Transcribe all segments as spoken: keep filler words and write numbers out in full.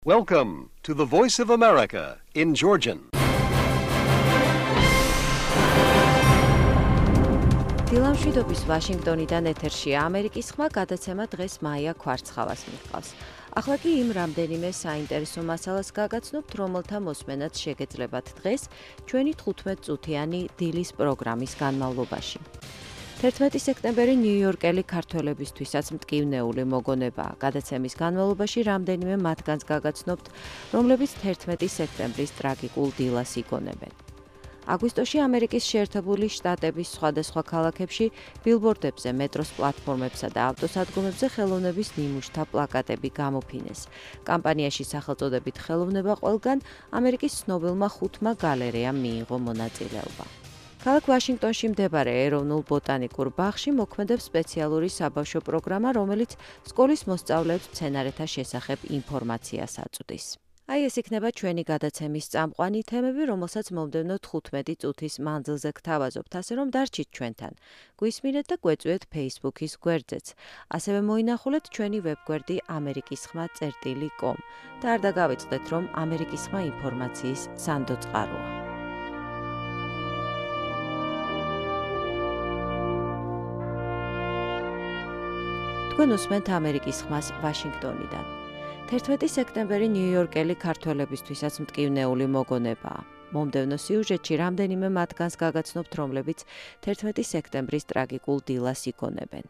Welcome to the Voice of America in Georgian. დილამ შვიდობის ვაშინგტონიდან ეთერშია ამერიკის ხმა გადაცემა დღეს მაია ქვარცხავას მიჰყავს. ახლა კი იმ რამდენიმე საინტერესო მასალას გაგაცნობთ, რომელთა მოსმენაც შეგეძლებათ დღეს ჩვენი თხუთმეტწუთიანი დილის პროგრამის განმავლობაში. თერთმეტი სექტემბერი ნიუ-იორკელი ქართველებისთვისაც მტკივნეული მოგონებაა. გადაცემის განმავლობაში რამდენიმე მათგანს გაგაცნობთ, რომლებიც თერთმეტი სექტემბრის ტრაგიკულ დილას იგონებენ. აგვისტოში ამერიკის შეერთებული შტატების სხვადასხვა ქალაქებში ბილბორდებზე, მეტროს პლატფორმებსა და ავტოსადგომებზე ხელოვნების ნიმუშთა პლაკატები გამოფინეს. კამპანიაში სახელწოდებით ხელოვნება ყველგან ამერიკის ცნობილმა ხუთმა გალერეამ მიიღო მონაწილეობა. ქალაქ ვაშინგტონში მდებარე ეროვნულ ბოტანიკურ ბაღში მოქმედებს სპეციალური საბავშვო პროგრამა, რომელიც სკოლის მოსწავლეებს მცენარეთა შესახებ ინფორმაციას აწვდის. აი ეს იქნება ჩვენი გადაცემის წამყვანი თემები, რომელსაც მომდევნო თხუთმეტი წუთის მანძილზე გთავაზობთ, ასე რომ დარჩით ჩვენთან. გვისმინეთ და გვეწვიეთ Facebook-ის გვერდზეც. ასევე მოინახულეთ ჩვენი ვებგვერდი ამერიკის ხმა წერტილი კომ და არ დაგავიწყდეთ, რომ ამერიკის ხმა ინფორმაციის სანდო წყაროა. თქვენ უსმენთ ამერიკის ხმას ვაშინგტონიდან. თერთმეტი სექტემბერი ნიუ-იორკელი ქართველებისთვისაც მტკივნეული მოგონებაა. მომდევნო სიუჟეტში რამდენიმე მათგანს გაგაცნობთ, რომლებიც თერთმეტი სექტემბრის ტრაგიკულ დილას იგონებენ.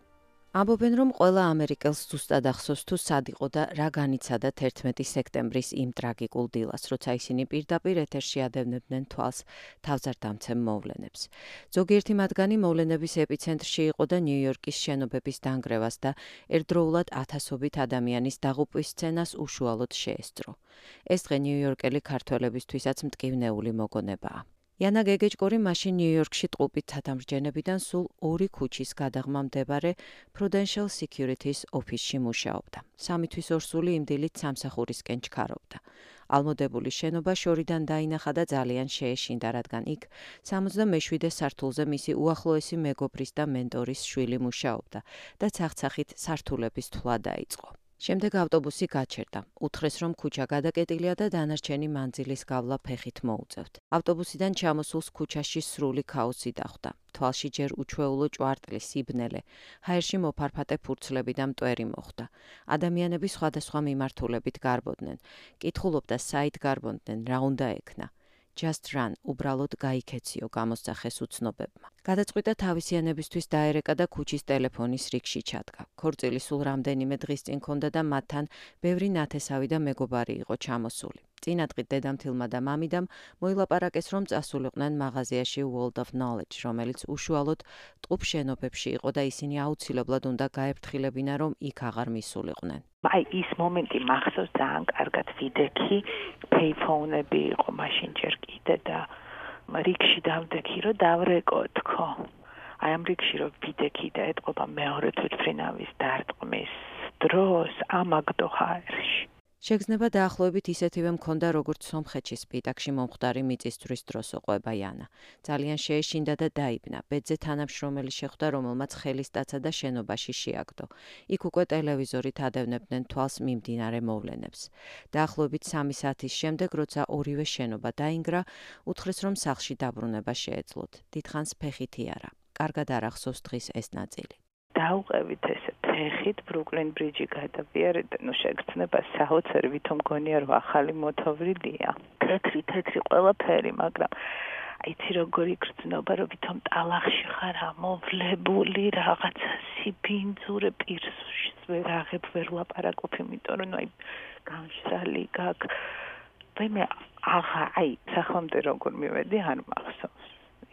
ამბობენ, რომ ყველა ამერიკელს ზუსტად ახსოვს თუ სად იყო და რა განიცადა თერთმეტი სექტემბრის იმ ტრაგიკულ დილას, როცა ისინი პირდაპირ ეთერში ადევნებდნენ თვალს თავზარდამცემ მოვლენებს. ზოგიერთი მათგანი მოვლენების ეპიცენტრში იყო და ნიუ-იორკის შენობების დანგრევას და ერთდროულად ათასობით ადამიანის დაღუპვის სცენას უშუალოდ შეესწრო. ეს დღე ნიუ-იორკელი ქართველებისთვისაც მტკივნეული მოგონებაა. იანა გეგეჭკორი მაშინ ნიუ-იორკში ტყუპით ცათამბჯენებიდან სულ ორი ქუჩის გადაღმა მდებარე Prudential Securities ოფისში მუშაობდა. სამი თვის ორსული იმ დილით სამსახურისკენ ჩქარობდა. ალმოდებული შენობა შორიდან დაინახა და ძალიან შეეშინდა, რადგან იქ სამოცდამეშვიდე სართულზე მისი უახლოესი მეგობრის და მენტორის შვილი მუშაობდა და ცახცახით სართულების თვლა დაიწყო. შემდეგ ავტობუსი გაჩერდა. უთხრეს, რომ ქუჩა გადაკეტილია და დანარჩენი მანძილის გავლა ფეხით მოუწევთ. ავტობუსიდან ჩამოსულს ქუჩაში სრული ქაოსი დახვდა. თვალში ჯერ უჩვეულო ჭვარტლი, სიბნელე, ჰაერში მოფარფატე ფურცლები და მტვერი მოხვდა. ადამიანები სხვადასხვა მიმართულებით გარბოდნენ. კითხულობდა, საით გარბონდნენ, რა უნდა ექნა. Just run, უბრალოდ გაიქეციო, გამოსახეს უცნობებმა. გადაწყვიტა თავისიანებისთვის დაერეკა და ქუჩის ტელეფონის რიგში ჩადგა. ქორწილი სულ რამდენიმე დღის წინ ჰქონდა და მათთან ბევრი ნათესავი და მეგობარი იყო ჩამოსული. წინადღით დედამთილმა და მამიდამ მოილაპარაკეს, რომ წასულიყვნენ მაღაზიაში World of Knowledge, რომელიც უშუალოდ ტყუპ შენობებში იყო და ისინი აუცილებლად უნდა გაეფრთხილებინა, რომ იქ აღარ მისულიყვნენ. აი ის მომენტი მახსოვს ძალიან კარგად, ვიდექი, payphone-ები იყო მაშინ ჯერ კიდე და რიგში დავდექი, რომ დავრეკო თქო. აი ამ რიგში რომ ვიდექი და ეტყობა მეორე თვითმფრინავის დარტყმის დროს ამაგდო ჰაერში. შეგრძნება დაახლოებით ისეთივე მქონდა, როგორც სომხეთში სპიტაკში მომხდარი მიწისძვრის დროს ოყვება იანა. ძალიან შეეშინდა და დაიბნა. ბედზე თანამშრომელი შეხვდა, რომელმაც ხელი სტაცა და შენობაში შეაგდო. იქ უკვე ტელევიზორით ადევნებდნენ თვალს მიმდინარე მოვლენებს. დაახლოებით სამი საათის შემდეგ, როცა ორივე შენობა დაინგრა, უთხრეს, რომ სახლში დაბრუნება შეეძლოთ. დიდხანს ფეხითი არა. კარგად არ ახსოვს დღის ეს ნაწილი. დავყევით ესე ფეხით ბრუკლინ ბრიჯი გადავიარეთ და ნუ შეგრძნება საოცარი, ვითომ გონია რომ ახალი მოთოვრილია. თეთრი თეთრი ყველაფერი, მაგრამ აიცი როგორი გრძნობა, რომ ვითომ ტალახში ხარ ამოვლებული, რაღაცა სიბინძურე პირსში ვერ აღებ ვერ ლაპარაკობ, იმიტომ რომ აი განშრალი გაქვს. მე აღა აი სახლამდე როგორ მივედი არ მახსოვს.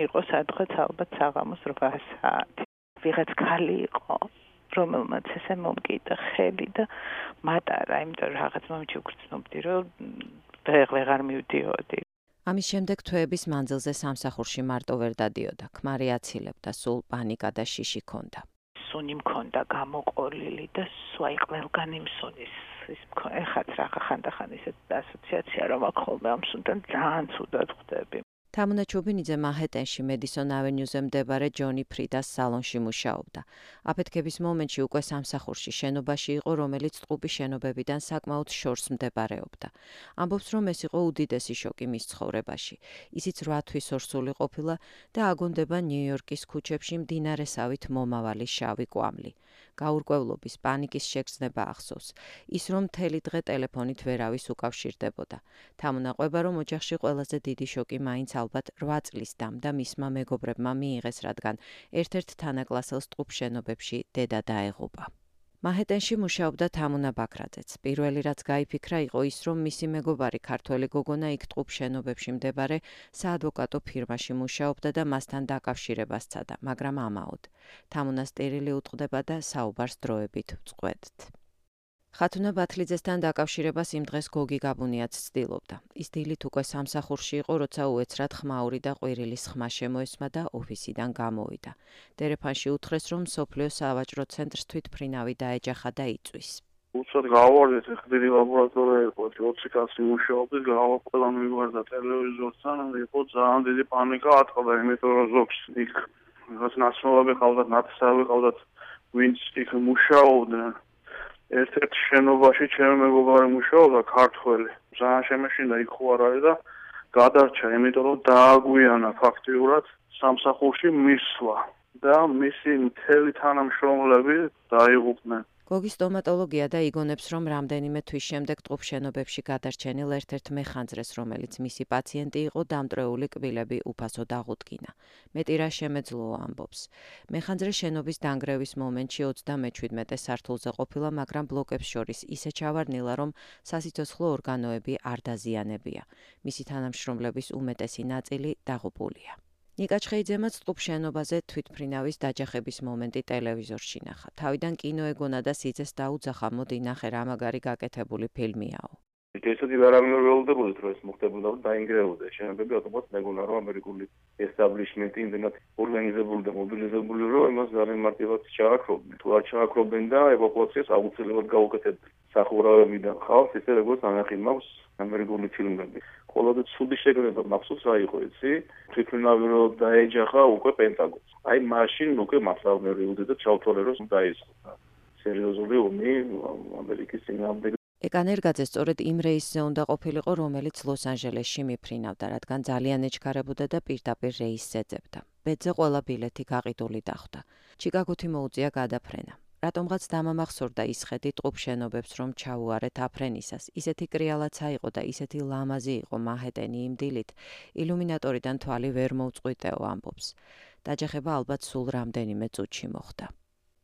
იყო სადღაც ალბათ საღამოს რვა საათი. ვიღაც ქალი იყო, რომელმაც ესე მომკიდა ხელი და მატარა, იმიტომ რომ რაღაც მომენტში ვგრძნობდი, რომ ვეღარ მივდიოდი. ამის შემდეგ თვეების მანძილზე სამსახურში მარტო ვერ დადიოდა. ქმარი აცილებდა, სულ პანიკა და შიში ჰქონდა. სუნი მქონდა გამოყოლილი და სვაი ყველგან იმ სუნის ის ეხაც რა ხანდახან ისეთ ასოციაცია რომ აქ ხოლმე ამ სუნთან ძალიან ცუდად ხვდები. თამუნა ჩუბინიძე მანჰეტენში მედისონ ავენიუზე მდებარე ჯონი ფრიდას სალონში მუშაობდა. აფეთქების მომენტში უკვე სამსახურში შენობაში იყო, რომელიც ტყუპი შენობებიდან საკმაოდ შორს მდებარეობდა. ამბობს, რომ ეს იყო უდიდესი შოკი მის ცხოვრებაში. ისიც რვა თვის ორსული ყოფილა და აგონდება ნიუ-იორკის ქუჩებში მდინარესავით მომავალი შავი კვამლი. გაურკვევლობის, პანიკის შეგრძნება ახსოვს. ის რომ მთელი დღე ტელეფონით ვერავის უკავშირდებოდა. თამუნაყვება, რომ ოჯახში ყველაზე დიდი შოკი მაინც ალბათ რვა წლის დამ და მისმა მეგობრებმა მიიღეს, რადგან ერთ-ერთ თანაკლასელს ტყუპშენობებში დედა დაეღუპა. მანჰეტენში მუშაობდა თამუნა ბაქრაძეც. პირველი რაც გაიფიქრა იყო ის, რომ მისი მეგობარი ქართველი გოგონა იქ ტყუპშენობებში მდებარე საადვოკატო ფირმაში მუშაობდა და მასთან დაკავშირებას სცადა, მაგრამ ამაოდ. თამუნა სტერილი უტყდება და საუბარს დროებით ვწყვეტთ. ხათუნა ბათლიძესთან დაკავშირებას იმ დღეს გოგი გაბუნიაც ცდილობდა. ის დილით უკვე სამსახურში იყო, როცა უეცრად ხმაური და ყვირილის ხმა შემოესმა და ოფისიდან გამოვიდა. ტელეფონში უთხრეს, რომ მსოფლიო სავაჭრო ცენტრს თვითმფრინავი დაეჯახა და იწვის. უცად გავავარდეთ, ხდირი ლაბორატორია იყო, ოცი კაცი მუშაობდით, გავაყოლა მივარდა ტელევიზორთან, იყო ძალიან დიდი პანიკა ატყდა, იმიტომ რომ ზოგს იქ რაღაც ნაცნობები ყავდათ, ნათესავი ყავდათ, ვინც იქ მუშაობდნენ. ერთ-ერთ შენობაში ჩემი მეგობარი მუშაობდა ქართველი. ძალიან შემეშინდა იქ ხო არ არის და გადარჩა, იმიტომ რომ დააგვიანა ფაქტიურად სამსახურში მისვლა და მისი მთელი თანამშრომლები დაიღუპნენ. გოგი სტომატოლოგია და იგონებს, რომ რამდენიმე თვის შემდეგ ტყუპშენობებში გადარჩენილ ერთ-ერთ მეხანძრეს, რომელიც მისი პაციენტი იყო, დამტრეული კბილები უფასო დაღუდგინა. მეტი რა შემეძლოა, ამბობს. მეხანძრე შენობის დანგრევის მომენტში ოცდამეჩვიდმეტე სართულზე ყოფილა, მაგრამ ბლოკებს შორის ისე ჩავარდნილა, რომ სასიცოცხლო ორგანოები არ დაზიანებია. მისი თანამშრომლების უმეტესი ნაწილი დაღუპულია. ნიკა ჩხეიძემაც ტყუპშენობაზე თვითმფრინავის დაჯახების მომენტი ტელევიზორში ნახა. თავიდან კინო ეგონა და სიძეს დაუძახა, მოდი ნახე რა მაგარი გაკეთებული ფილმიაო. ესეთი ვერავინ ველოდებოდეთ, რომ ეს მოხდებოდა და დაინგრეოდა. შენობები ავტომატ მეგონა, რომ ამერიკული ესტაბლიშმენტი იმდენად ორგანიზებული და მობილიზებული, რომ იმას ძალიან მარტივად ჩააქრობდნენ. თუ არ ჩააქრობდნენ და ევაკუაციას აუცილებლად გაუკეთებდნენ. სახურავებიდან ხავს, ისე როგორც ანახი მაქვს ამერიკული ფილმები. ხოლო ცუდი შეგრძნება მახსოვს რა იყო იცი? თვითმფრინავი რო დაეჯახა უკვე პენტაგონს. აი მაშინ უკვე მასავნე რიუდე და ჩავთვალე რომ დაისხა. სერიოზული ომი ამერიკის წინააღმდეგ. ეკან ერგაძე სწორედ იმ რეისზე უნდა ყოფილიყო, რომელიც ლოს-ანჯელესში მიფრინავდა, რადგან ძალიან ეჩქარებოდა და პირდაპირ რეისს ეძებდა. ბედზე ყველა ბილეთი გაყიდული დახვდა. ჩიკაგოთი მოუწია გადაფრენა. რატომღაც დამამახსოვრდა ის ხედი ტყუპშენობებს, რომ ჩაუარეთ აფრენისას. ისეთი კრიალაც აიყო და ისეთი ლამაზი იყო მანჰეტენი იმ დილით, ილუმინატორიდან თვალი ვერ მოუწყვიტეო, ამბობს. დაჯახება ალბათ სულ რამდენიმე წუთში მოხდა.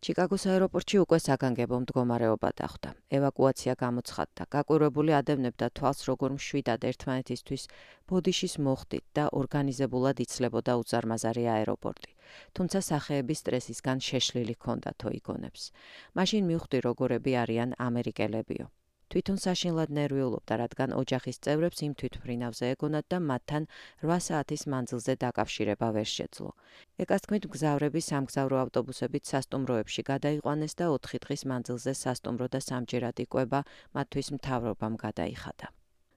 ჩიკაგოს აეროპორტში უკვე საგანგებო მდგომარეობა დახვდა. ევაკუაცია გამოცხადდა. გაკვირვებული ადევნებდა თვალს, როგორ მშვიდად ერთმანეთისთვის ბოდიშის მოხდით და ორგანიზებულად იცლებოდა უზარმაზარი აეროპორტი. თუმცა სახეების სტრესისგან შეშლილი ჰქონდათო, იგონებს. მაშინ მივხვდი, როგორები არიან ამერიკელებიო. თვითონ საშინლად ნერვიულობდა, რადგან ოჯახის წევრებს იმ თვითმფრინავზე ეგონათ და მათთან რვა საათის მანძილზე დაკავშირება ვერ შეძლო. ეკას თქმით, მგზავრები სამგზავრო ავტობუსებით სასტუმროებში გადაიყვანეს და ოთხი დღის მანძილზე სასტუმრო და სამჯერად იკვება მათთვის მთავრობამ გადაიხადა.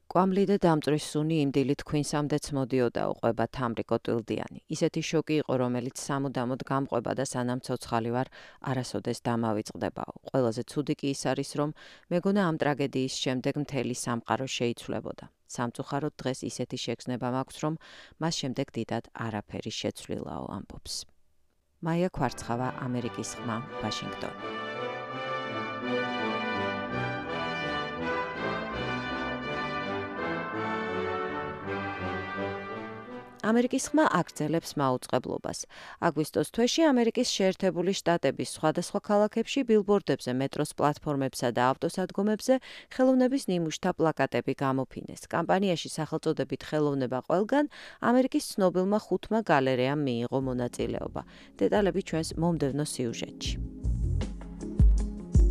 კვამლი და დამწვრის სუნი იმ დილით ქვინსამდეც მოდიოდა, უყვება თამრიკო ტვილდიანი. ისეთი შოკი იყო, რომელიც სამუდამოდ გამყვება და სანამ ცოცხალი ვარ, არასოდეს დამავიწყდებაო. ყველაზე ცუდი კი ის არის, რომ მეგონა ამ ტრაგედიის შემდეგ მთელი სამყარო შეიცვლებოდა. სამწუხაროდ დღეს ისეთი შეგრძნება მაქვს, რომ მას შემდეგ დიდად არაფერი შეცვლილაო, ამბობს. მაია ქვარცხავა, ამერიკის ხმა, ვაშინგტონი. ამერიკის ხმა აგრძელებს მაუწყებლობას. აგვისტოს თვეში ამერიკის შეერთებული შტატების სხვადასხვა ქალაქებში ბილბორდებზე, მეტროს პლატფორმებსა და ავტოსადგომებზე ხელოვნების ნიმუშთა პლაკატები გამოფინეს. კამპანიაში სახელწოდებით ხელოვნება ყველგან ამერიკის ცნობილმა ხუთმა გალერეამ მიიღო მონაწილეობა. დეტალები ჩვენს მომდევნო სიუჟეტში.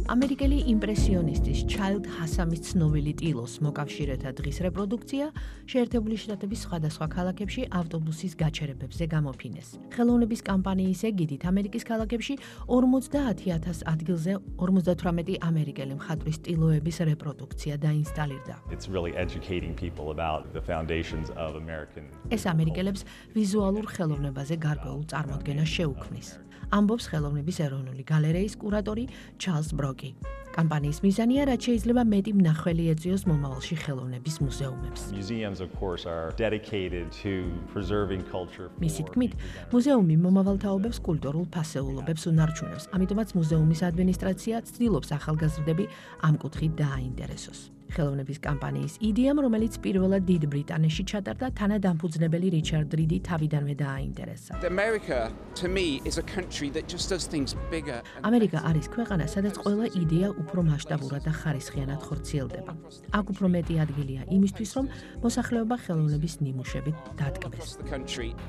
ამერიკელი იმპრესიონისტის ჩაილდ ჰასამის ცნობილი ტილოს მოკავშირეთა დღის რეპროდუქცია შეერთებული შტატების სხვადასხვა ქალაქებში ავტობუსის გაჩერებებზე გამოფინეს. ხელოვნების კამპანიის ეგიდით ამერიკის ქალაქებში ორმოცდაათი ათას ადგილზე ორმოცდათვრამეტი ამერიკელი მხატვრის ტილოების რეპროდუქცია დაინსტალირდა. It's really educating people about the foundations of American. ეს ამერიკელებს ვიზუალურ ხელოვნებაზე გარკვეულ წარმოდგენას შეუქმნის. ამბობს ხელოვნების ეროვნული გალერეის კურატორი ჩარლზ ბროკი. კამპანიის მიზანია, რაც შეიძლება მეტი მნახველი ეწვიოს მომავალში ხელოვნების მუზეუმებს. Museums, of course, are dedicated to preserving culture. მისი თქმით, მუზეუმი მომავალ თაობებს კულტურულ ფასეულობებს უნარჩუნებს, ამიტომაც მუზეუმის ადმინისტრაცია ცდილობს ახალგაზრდები ამ კუთხით დააინტერესოს. ხელოვნების კამპანიის იდეამ, რომელიც პირველად დიდ ბრიტანეთში ჩატარდა, თანადამფუძნებელი რიჩარდ რიდი თავიდანვე დააინტერესა. America to me is a country that just does things bigger. ამერიკა არის ქვეყანა, სადაც ყველა იდეა უფრო მასშტაბურად და ხარისხიანად ხორციელდება. აქ უფრო მეტი ადგილია იმისთვის, რომ მოსახლეობა ხელოვნების ნიმუშებით დატკბეს.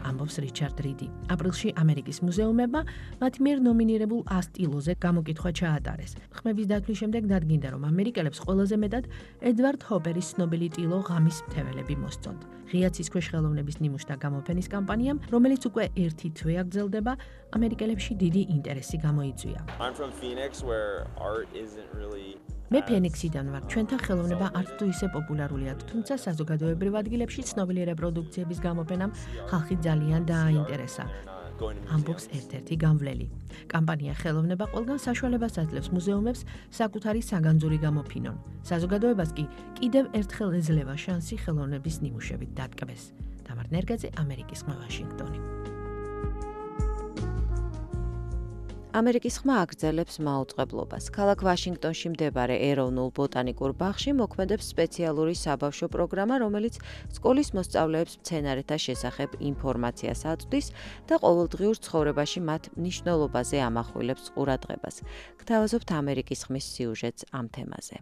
ამბობს რიჩარდ რიდი. აპრილში ამერიკის მუზეუმებმა მათ მიერ ნომინირებულ ას ტილოზე გამოკითხვა ჩაატარეს. ხმების დათვლის შემდეგ დადგინდა, რომ ამერიკელებს ყველაზე მეტად ედვარდ ჰოპერის ცნობილი ტილო ღამის მთეველები მოსწონთ. ღია ცისქვეშ ხელოვნების ნიმუშთა გამოფენის კამპანიამ, რომელიც უკვე ერთი თვე აგრძელდება, ამერიკელებში დიდი ინტერესი გამოიწვია. I'm from Phoenix where art isn't really მე ფენიქსიდან ვარ. ჩვენთან ხელოვნება არც თუ ისე პოპულარულია, თუმცა საზოგადოებრივ ადგილებში ცნობილი რეპროდუქციების გამოფენამ ხალხი ძალიან დააინტერესა. ამბობს ერთ-ერთი გამვლელი. კამპანია ხელოვნება ყველგან საშუალებას აძლევს მუზეუმებს საკუთარი საგანძური გამოფინონ. საზოგადოებას კი კიდევ ერთხელ ეძლევა შანსი ხელოვნების ნიმუშებით დატკბეს. თამარ ნერგაძე, ამერიკის ხმა, ვაშინგტონი. ამერიკის ხმა აგრძელებს მაუწყებლობას. ქალაქ ვაშინგტონში მდებარე ეროვნულ ბოტანიკურ ბაღში მოქმედებს სპეციალური საბავშვო პროგრამა, რომელიც სკოლის მოსწავლეებს მცენარეთა შესახებ ინფორმაციას აწვდის და ყოველდღიურ ცხოვრებაში მათ მნიშვნელობაზე ამახვილებს ყურადღებას. გთავაზობთ ამერიკის ხმის სიუჟეტს ამ თემაზე.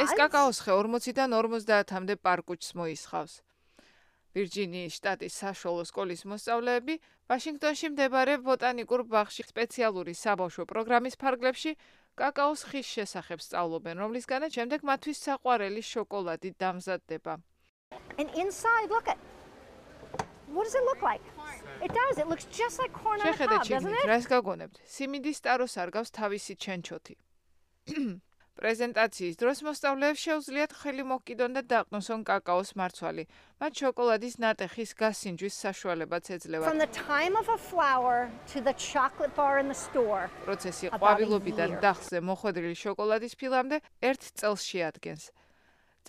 ეს კაკაოს ხე ორმოციდან ორმოცდაათამდე პარკუჩს მოისხავს. ვირჯინიის შტატის საშუალო სკოლის მოსწავლეები ვაშინგტონში მდებარე ბოტანიკურ ბაღში სპეციალური საბავშვო პროგრამის ფარგლებში კაკაოს ხის შესახებ სწავლობენ, რომლისგანაც შემდეგ მათთვის საყვარელი შოკოლადი დამზადდება. And inside, look at What does it look like? It does. It looks just like corn on the cob, doesn't it? რას გაგონებთ? სიმინდის ტაროს არგავს თავისი ჩენჩოთი. პრეზენტაციის დროს მოსწავლეებს შეუძლიათ ხელი მოკიდონ და დაყნოსონ კაკაოს მარცვალი. მათ შოკოლადის ნატეხის გასინჯვის საშუალებაც ეძლევათ. From the time of a flower to the chocolate bar in the store. პროცესი ყვავილობიდან დახზე მოხვედრილი შოკოლადის ფილამდე ერთ წელს შეადგენს.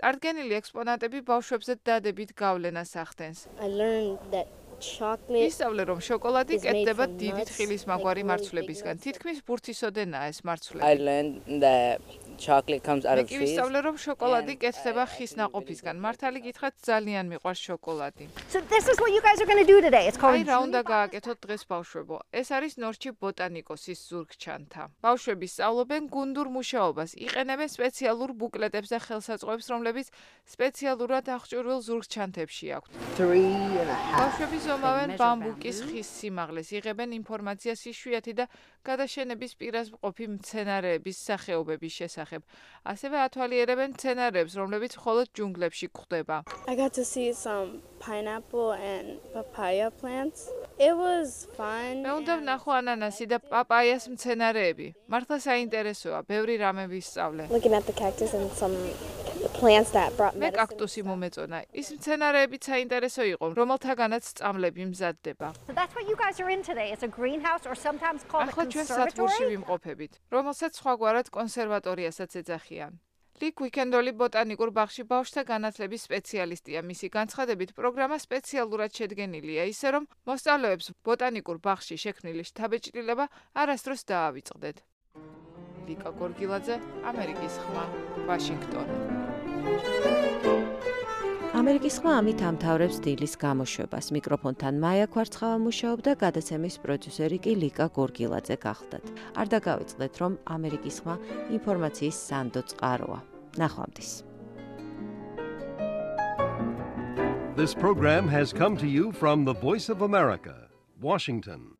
წარდგენილი ექსპონატები ბავშვებზე დადებით გავლენას ახდენს. I learned that chocolate ისწავლე, რომ შოკოლადი კეთდება დიდი თხილის მაგვარი მარცვლებისგან. თითქმის ბურთისოდენაა ეს მარცვლები. I learned that chocolate comes out of trees. ისწავლე, რომ შოკოლადი კეთდება ხის ნაყოფისგან. მართალი გითხრათ, ძალიან მიყვარს შოკოლადი. So this is what you guys are going to do today. It's called აი რა უნდა გააკეთოთ დღეს ბავშვებო. ეს არის ნორჩი ბოტანიკოსის ზურგჩანთა. ბავშვები სწავლობენ გუნდურ მუშაობას, იყენებენ სპეციალურ ბუკლეტებს და ხელსაწყოებს, რომლებიც სპეციალურად აღჭურვილ ზურგჩანთებში აქვთ. ბავშვები ზომავენ ბამბუკის ხის სიმაღლეს, იღებენ ინფორმაციას იშვიათი და გადაშენების პირას მყოფი მცენარეების სახეობების შესახებ. ასევე ათვალიერებენ მცენარეებს, რომლებიც მხოლოდ ჯუნგლებში გვხვდება. I got to see some pineapple and papaya plants. It was fun. მე უნდა ვნახო ანანასი და პაპაიას მცენარეები. მართლა საინტერესოა, ბევრი რამე ვისწავლე. Looking at the cactus and some the plants that brought მე კაქტუსი მომეწონა. ის მცენარეებიც საინტერესო იყო, რომელთაგანაც წამლები მზადდება. So that's what you guys are in today. It's a greenhouse or sometimes called a ახლა ჩვენ სათბურში conservatory. ვიმყოფებით, რომელსაც სხვაგვარად კონსერვატორიასაც ეძახიან. ლიკ უიკენდოლი ბოტანიკურ ბაღში ბავშვთა განათლების სპეციალისტია. მისი განცხადებით, პროგრამა სპეციალურად შედგენილია, ისე რომ მოსწავლეებს ბოტანიკურ ბაღში შექმნილი შთაბეჭდილება არასდროს დაავიწყდეთ. ლიკა გორგილაძე, ამერიკის ხმა, ვაშინგტონი. ამერიკის ხმა ამით ამთავრებს დილის გამოშვებას. მიკროფონთან მაია ქვარცხავა მუშაობდა, გადაცემის პროდიუსერი კი ლიკა გორგილაძე გახლდათ. არ დაგავიწყდეთ, რომ ამერიკის ხმა ინფორმაციის სანდო წყაროა. ნახვამდის. This program has come to you from the Voice of America, Washington.